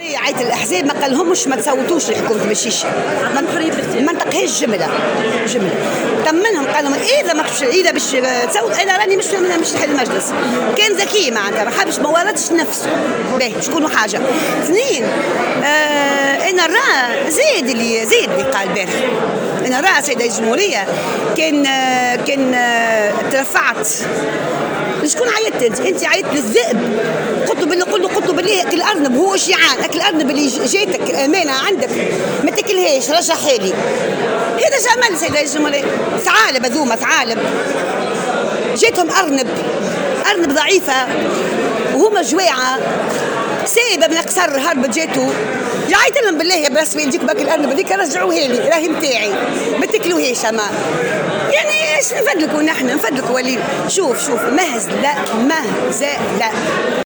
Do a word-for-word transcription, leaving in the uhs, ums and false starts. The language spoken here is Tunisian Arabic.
عيط الاحزاب ما قالهمش ما تصوتوش لحكومة مشيش، ما نطقهاش جملة جملة، طمنهم قال لهم اذا ما اذا باش تصوت انا راني مش مش نحل المجلس. كان ذكي معناتها، ما حبش، ما ورطش نفسه. باهي شكون حاجة اثنين، آه انا راه زيد اللي زيد اللي قال البارح، انا راه سيد الجمهورية كان آه كان آه ترفعت. شكون عيطت انت؟ انت عيطت للذئب، قلت له بالله، قلت له قلت له بالله اكل ارنب، هو جيعان، اكل ارنب اللي جاتك امانه عندك ما تاكلهاش، رجعها لي. هذا جمل سيد الجمهورية، ثعالب هذوما ثعالب، جاتهم ارنب، ارنب ضعيفة وهما جواعه، سايبه من القصر هربت جاتو، عيط لهم بالله يا براس والديك باك الارنب هذيك رجعوها لي، راهي نتاعي ما تاكلوهاش. اما يعني ايش نفدلكوا نحن، نفدلكوا ولي شوف شوف مهزله مهزله.